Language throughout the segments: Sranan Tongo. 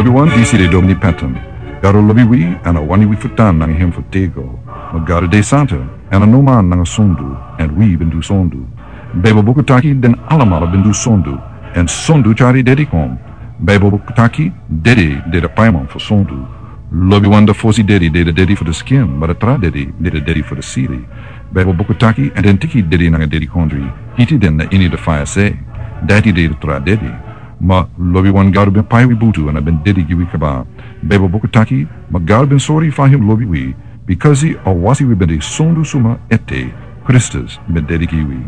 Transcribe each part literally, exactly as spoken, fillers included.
Lobiwan, disi de Domini Patton. Gado lobi wi, èn a wani wi fu tan nanga en fu têgo. Ma Gado de santa, èn a no man nanga sondu, èn wi ben du sondu. Bijbel buku taki den alamala ben du sondu, èn sondu tyari dede kon. Bijbel buku taki dede de de paiman fu sondu. Lobiwan, a fosi dede de de dede fu de skin, ma de tra dede de de dede fu de sili. Bijbel buku taki èn den teki dede nanga dedikondre, iti den na ini de faya sei. Dati de de tra dede. Ma lobiwan, Gado ben pai wi butu èn a ben dede gi wi kaba. Bijbel buku taki, ma Gado ben sori fa en lobi wi, bikasi a wasi wi ben de sondu suma ete, Kristus ben dede gi wi.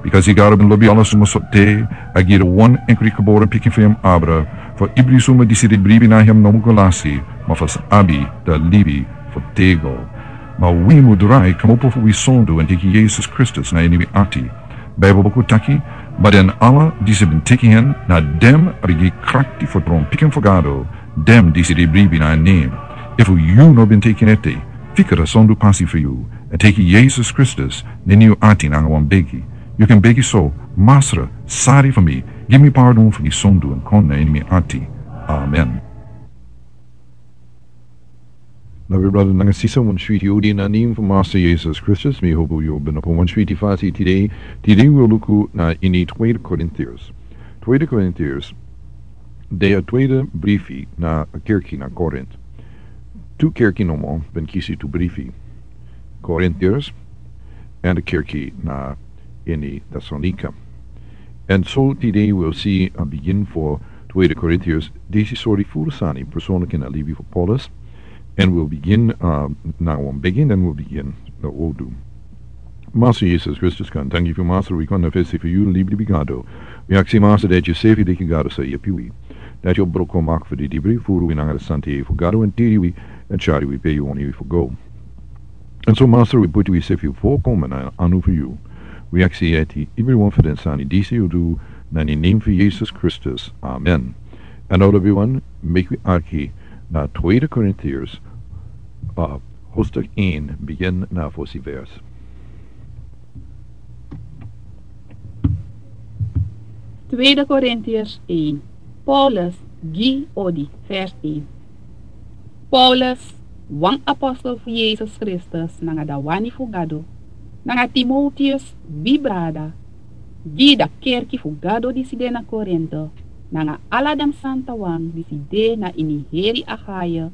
Bikasi Gado ben lobi ala suma so te, a gi de wan enkri geboren pikin fu en abra, fu ibri suma disi de bribi na en no mu go lasi, ma fu sa abi de libi fu têgo. Ma wi mu drai kmopo fu wi sondu èn teki Yesus Kristus na ini wi ati. Bijbel buku taki, ma den ala disi ben teki en, na den a ben gi krakti fu tron pikin fu Gado, den disi de bribi na en nen. Efu yu no ben teki en ete, fika de sondu pasi fu yu, èn teki Yesus Kristus na ini yu ati nanga wan begi. Yu kan begi so: Masra, sari fu mi, gi mi pardon fu mi sondu èn kon na ini mi ati. Amen. Lobi brada nanga sisa, wan switi odi na nen fu Masra Yesus Kristus. Mi hopu yu ben opo wan switi fasi tide. Tide wi o luku na ini Tweede Korintiërs. Tweede Korintiërs, de a tweede brifi na a kerki na Korint. Tu kerki nomo ben kisi tu brifi. Korintiërs èn de kerki na ini Tesalonika. Èn so tide wi o si a bigin fu Tweede Korintiërs, disi sori furu sani personlik ini a libi fu Paulus. Èn wi o bigin, uh, na wan bigin, den wi o bigin na wi o du. Masra Yesus Kristus, kon danki fu Masra, wi kon na fesi fu yu, libi, libi Gado. Wi aksi Masra dati yu sefi de gi Gado sa yepi wi. Dati yu o broko mak fu di dibri, furu wi nanga de santa yeye fu Gado, èn tiri wi, èn tyari wi pe yu wani wi fu go. Èn so Masra, wi puti wi sefi fu kon na anu fu yu. Wi aksi eti, ibri wan fu den sani disi wi o du na ini nen fu Yesus Kristus. Amen. Èn now lobiwan, meki wi arki na Tweede Korintiërs, uh, hoofdstuk één, bigin na fosi vers. Tweede Korintiërs één. Paulus gi odi, vers één. Paulus, wan apostel fu Yesus Kristus nanga da wani fu Gado, nanga Timoteus, wi brada, gi da kerki fu Gado disi de na Korinte, nanga ala den santawan disi de na ini heri Achaïe,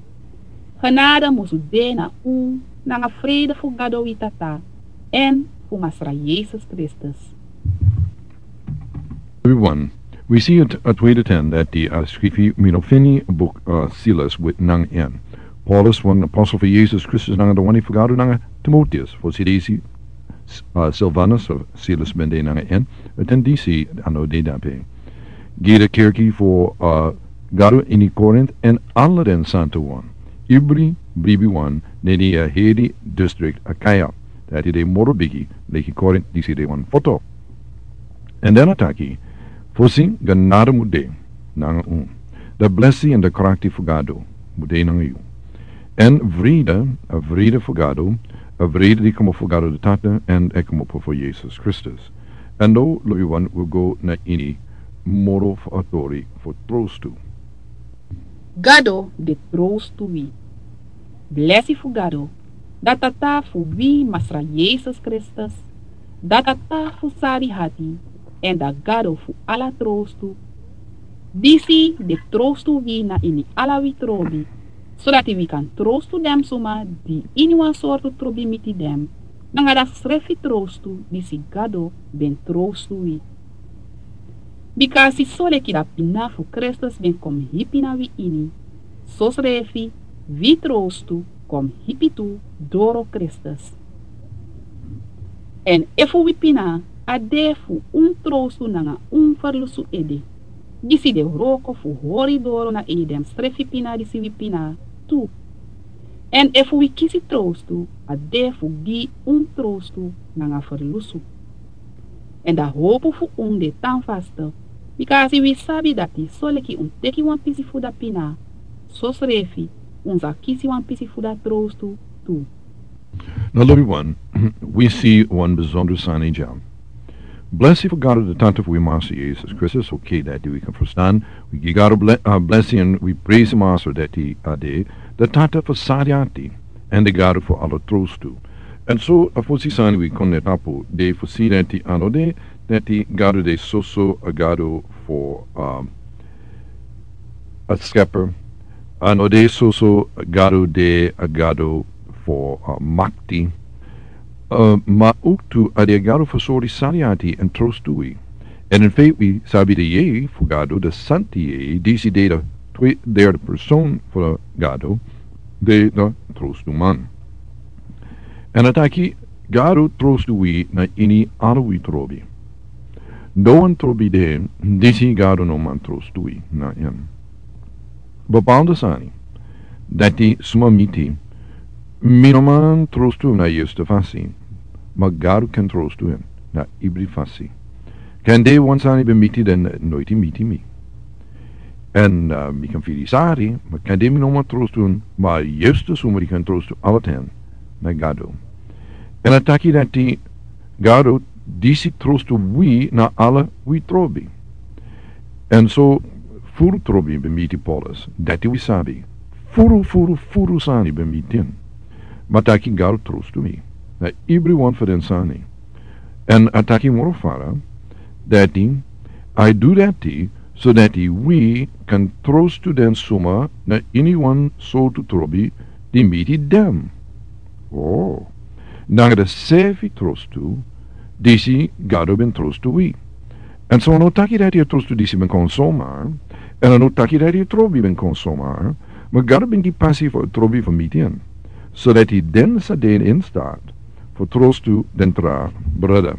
genade musu de na un, nanga vrede fu Gado wi Tata, èn fu Masra Yesus Kristus. Everyone, wi si a tweede ten dati a skrifi: Mi no feni buk, uh, Silas nanga en. Paulus, wan apostel fu Yesus Kristus nanga da wani fu Gado, nanga Timoteus, fosi disi, uh, Silvanus, uh, Silas ben de nanga en, a ten disi a no de dape. Gi da kerki fu, uh, Gado ini Korint èn ala den santawan, ibri bribiwan na ini a heri distrikt Achaïe, dati de moro bigi leki Korint disi de wan foto. Èn den a taki: Fosi, genade mu de nanga un. Da blesi èn da krakti fu Gado mu de nanga yu. Èn vrede, a vrede fu Gado, a vrede di komopo fu Gado da Tata èn e komopo fu Yesus Kristus. Èn now lobiwan, wi o go na ini moro fu a tori fu trostu. Gado de trostu wi. Blesi fu Gado, da Tata fu wi Masra Yesus Kristus, da Tata fu sari ati, èn da Gado fu ala trostu. Disi de trostu wi na ini ala wi trobi, sodati wi kan trostu den suma di ini wan sortu trobi miti den, nanga da srefi trostu disi Gado ben trostu wi. Bikasi soleki da pina fu Kristus ben kon hipi na wi ini, sosrefi wi trostu kon hipi tu doro Kristus. Èn efu wi pina, a de fu un trostu nanga un ferlusu ede, disi de wroko fu hori doro na ini den srefi pina disi wi pina tu. Èn efu wi kisi trostu, a de fu gi un trostu nanga ferlusu. Èn da hopu fu un de tan faste, bikasi wi sabi dati soleki un teki wan pisi fu da pina, sosrefi un sa kisi wan pisi fu da trostu tu. Now lobiwan, wi si wan besondro sani dya. Blesi fu Gado, de Tata fu wi Master Jesus Kristus, oké, dati wi kan ferstan. Wi gi Gado ble-, uh, blesi èn wi presi Master dati a de, de Tata fu sari ati, èn de Gado fu ala trostu. Èn so, a fosi sani wi kon na tapu, de fu si dati a no de, dati Gado de soso a Gado fu, um, a Skepper, a no de soso a Gado de a Gado fu, uh, makti. Uh, ma owktu a de a Gado fu sori sari ati èn trostu wi. Èn in feit wi sabi de yeye fu Gado, de Santi Yeye, disi de de twe-, derde persoon fu Gado, de de trostuman. Èn a taki Gado trostu wi na ini ala wi trobi. Nowan trobi de, disi Gado no man trostu wi na en. Bepaalde sani dati suma miti, mi no man trostu na yustu fasi, ma Gado kan trostu en na ibri fasi. Kande wan sani ben miti den noiti miti mi. Èn, uh, mi kan firi sari, ma kande mi no man trostu en, ma yustu suma di kan trostu ala ten na Gado. Èn a taki dati Gado disi trostu wi na ala wi trobi. Èn so furu trobi ben miti Paulus, dati wi sabi. Furu, furu, furu sani ben miti en. Ma taki Gado trostu mi na ibri wan fu den sani. Èn a taki moro fara, dati a du dati so dati wi kan trostu den suma na ini wan sortu trobi di miti den. Oh. Nanga de sefi trostu disi Gado ben trostu wi. Èn so a no taki dati a trostu disi ben kon somar, èn a no taki dati a trobi ben kon somar, ma Gado ben gi pasi fu a trobi fu miti en, so dati den sa de in staat fu trostu den tra brada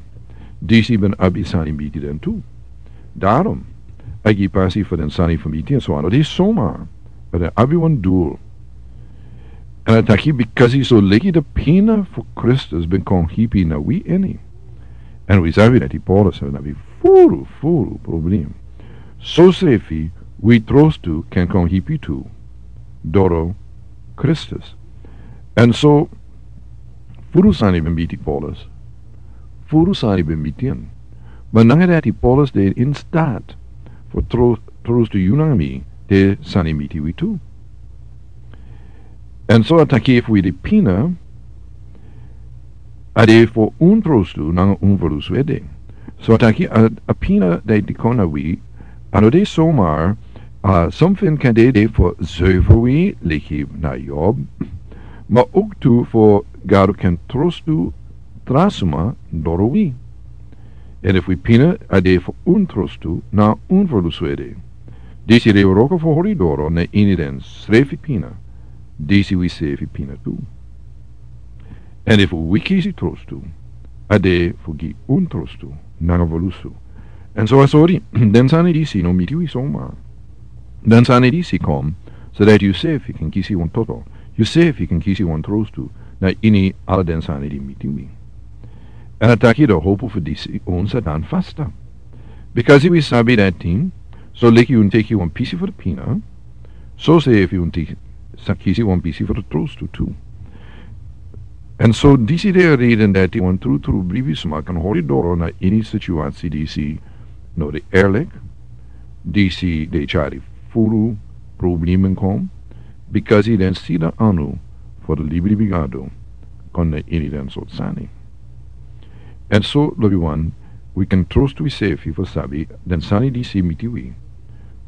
disi ben abi sani miti den tu. Daarom a gi pasi fu den sani fu miti en, so a no de somar, ma den abi wan doel. Èn a taki bikasi so leki de pina fu Kristus ben kon hipi na wi ini. Èn wi sabi dati Paulus ben abi furu, furu problem. So sefi wi trostu kan kon hipi tu doro Kristus. Èn so furu sani ben miti Paulus. Furu sani ben miti en. Ma nanga dati Paulus de in staat fu tro-, trostu yu nanga mi, de sani miti wi tu. Èn so a taki efu wi de pina, a de fu un trostu nanga un verlusu ede. So a taki a, a pina dati kon na wi, a no de somar, a, something kande de fu zuiver wi, leki na Job, ma owktu fu Gado kan trostu tra suma doro wi. Èn efu wi pina a de fu un trostu nanga un verlusu ede, disi de wroko fu hori doro na ini den srefi pina, disi wi sefi pina tu. Èn efu wi kisi trostu, a de fu gi un trostu nanga verlusu. Èn so a sori, den sani disi no miti wi somar. Den sani disi kon, so dati yu sefi kan kisi wan toto, yu sefi kan kisi wan trostu na ini ala den sani di miti wi. Èn a taki de hopu fu disi un sa tan fasta. Bikasi wi sabi dati, so leki un teki wan pisi fu de pina, so sefi un teki, sa kisi wan pisi fu de trostu tu. Èn so disi de a reden dati wan trutru libisma kan hori doro na ini situasi disi no de eerlik, disi de tyari furu problemen kon, bikasi den sida anu fu de libilibi Gado kon na ini den sortu sani. Èn so, lobiwan, wi kan trostu wi sefi fu sabi den sani disi miti wi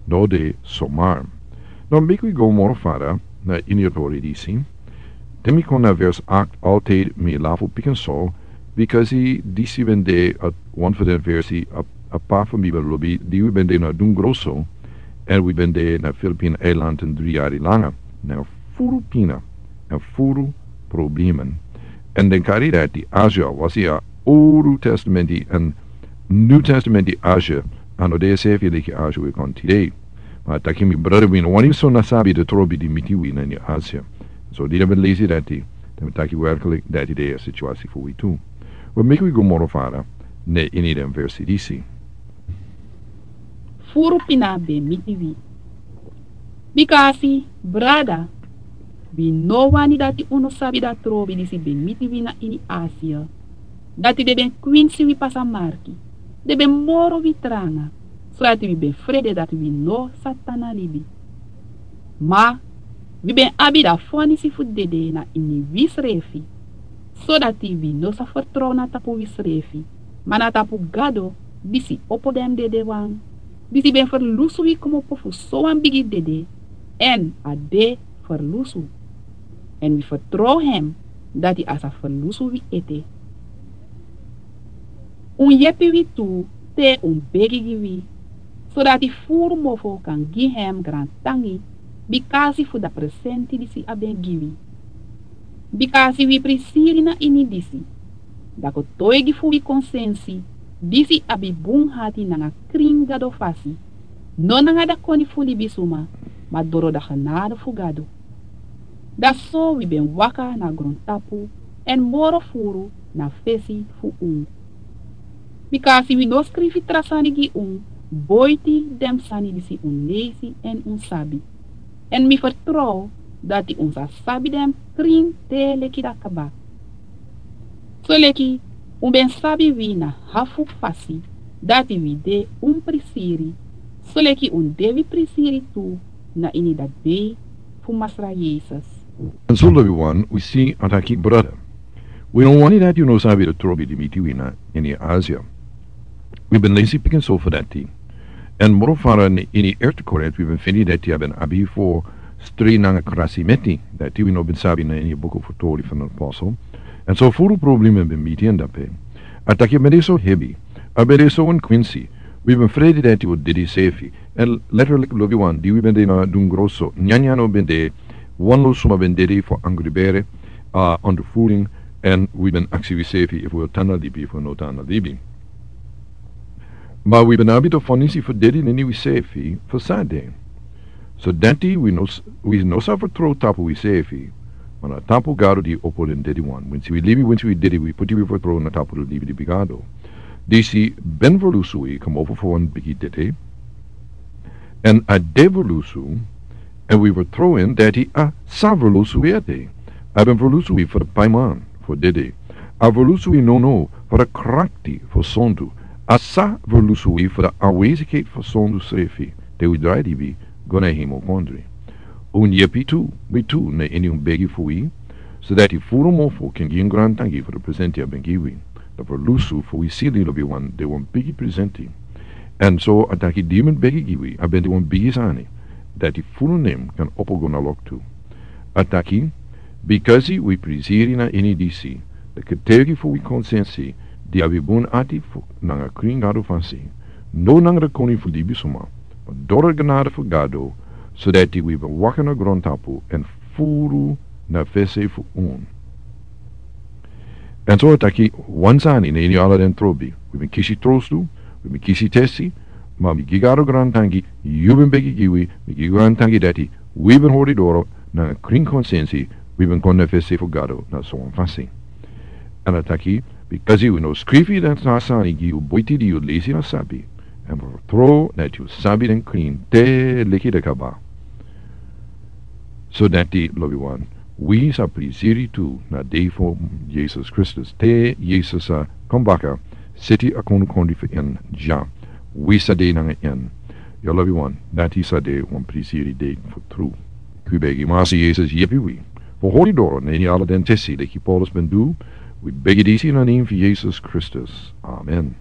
no de somar. Now meki wi go moro fara na ini a tori disi. Te mi kon na vers acht, altijd mi lafu pikin so, bikasi disi ben de a, wan fu den versi a, a pa fu mi ben lobi, di wi ben de na Dun Grosso, èn wi ben de na Filipin eiland dri yari langa. Na furu pina, na furu problemen. Èn den kari dati Asia, wasi a Old Testament èn New Testament Asia, a no de sefi leki Asia wi kon tide. Ma a taki mi brada wi no wani so na sabi de trobi di miti wi na ini Asia. So di den ben lesi dati, den ben taki werkelijk dati de a situasi fu wi tu. Wi meki wi go moro fara na ini den versi disi. Furu pina ben miti wi. Bikasi, brada, wi no wani dati unu sabi dati trobi disi ben miti wi na ini Asia. Dati den ben kwinsi wi pasa marki. den ben moro wi tranga, sodati wi ben frede dati wi no sa tan na libi. Ma wi ben abi dan fonisi fu dede na ini wisrefi, sodati wi no sa fertrow na tapu wisrefi, ma na tapu Gado, disi opo den dedewan, disi ben ferlusu wi kmopo fu sowan bigi dede, èn a de ferlusu. Èn wi fertrow hem dati a sa ferlusu wi ete. Un yepi wi tu te un begi gi wi, sodati furu mofo kan gi hem grantangi, bikasi fu dan presenti disi a ben gi wi. Bikasi wi prisiri na ini disi, dan kotoigi fu wi konsensi, disi abi bun hati nanga krin Gado fasi, no nanga dan koni fu libisuma, ma doro dan genade fu Gado. Dan so wi ben waka na grontapu, èn moro furu na fesi fu un. Bikasi wi no skrifi tra sani gi un, boiti den sani disi un leisi èn un sabi. Èn mi fertrow dati un sa sabi den krin te leki dan kaba. Soleki un ben sabi wi na hafu fasi, dati wi de un prisiri, soleki un de wi prisiri tu na ini dan dei fu Masra Yesus. Èn so lobiwan, wi si a taki brada. Wi no wani dati un no sabi den trobi di miti wi na ini Asia. Wi ben leisi pikinso fu dati. Èn moro fara na ini Erste Korint wi ben feni dati a ben abi fu strei nanga krasi meti, dati wi no ben sabi na ini buku fu Tori fan den Apostel. Èn so furu problema ben miti en dape. A taki a ben de so hebi, a ben de so wan kwinsi, wi ben frede dati wi o dede sefi. Èn letterlijk lobiwan, di wi ben de na dungro so, nyanyan no ben de, wan lo suma ben dede fu angri bere, a ondervoeding, èn wi ben aksi wi sefi efu wi o tan na libi efu wi no tan na libi. Ma wi ben abi dan fonisi fu dede na ini wi sefi fu san de. So dati wi no s-, wi no sa fertrow tapu wi sefi, ma na tapu Gado di opo den dedewan. Winsi wi libi, winsi wi dede, wi poti wi fertrow na tapu den libi di Gado. Disi ben ferlusu wi kmopo fu wan bigi dede. Èn a de ferlusu, èn wi fertrow en dati a sa ferlusu wi ete. A ben ferlusu wi fu den paiman fu dede. A ferlusu wi nono fu den krakti fu sondu. A sa ferlusu wi fu den aanwezigheid fu sondu srefi, te wi drai libi go na hemel kondre. Un yepi tu, wi tu, na ini un begi fu wi, sodati furu mofo kan gi un grantangi fu den presenti a ben gi wi. Dan ferlusu fu wi sili lobiwan de wan bigi presenti. Èn so a taki di mi begi gi wi, a ben de wan bigi sani. Dati furu nen kan opo go na loktu. A taki, bikasi wi prisiri na ini disi, dan ketegi fu wi konsensi, di abi bun ati fu nanga krin Gado fasi, no nanga den koni fu libisuma, ma doro den genade fu Gado, sodati wi ben waka na grontapu èn furu na fesi fu un. Èn so a taki wan sani na ini ala den trobi, wi ben kisi trostu, wi ben kisi tesi, ma mi gi Gado grantangi, yu ben begi gi wi, mi gi grantangi dati, wi ben hori doro, na krin konsensi, wi ben kon na fesi fu Gado na sowan fasi. Èn a taki, bikasi wi no skrifi den tra sani gi yu boiti di yu leisi na sabi, èn fertrow dati yu sabi den krin te leki den kaba. Sodati lobiwan, wi sa prisiri tu na dei fu Yesus Kristus. Te Yesus sa kon baka, seti a kondukondri fu en dya. Wi sa de nanga en. Ya lobiwan, dati sa de wan prisiri dei fu tru. Wi begi Masra Yesus yepi wi fu hori doro na ini ala den tesi leki Paulus ben du. Wi begi disi na nen fu Yesus Kristus. Amen.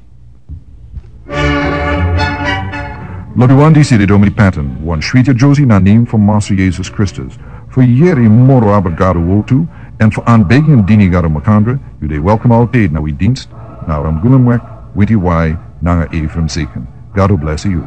Lobiwan, disi de Dominic Patton, wan switi Josie na nen fu Masra Yesus Kristus. Fu yere moro abra Gado wortu, èn fu aanbevelen dini Gado makandra, yu de welkom altijd na wi dienst, na Ramguna Mwek, Winti Wai, nanga Ephraim Seken. Gado bless yu.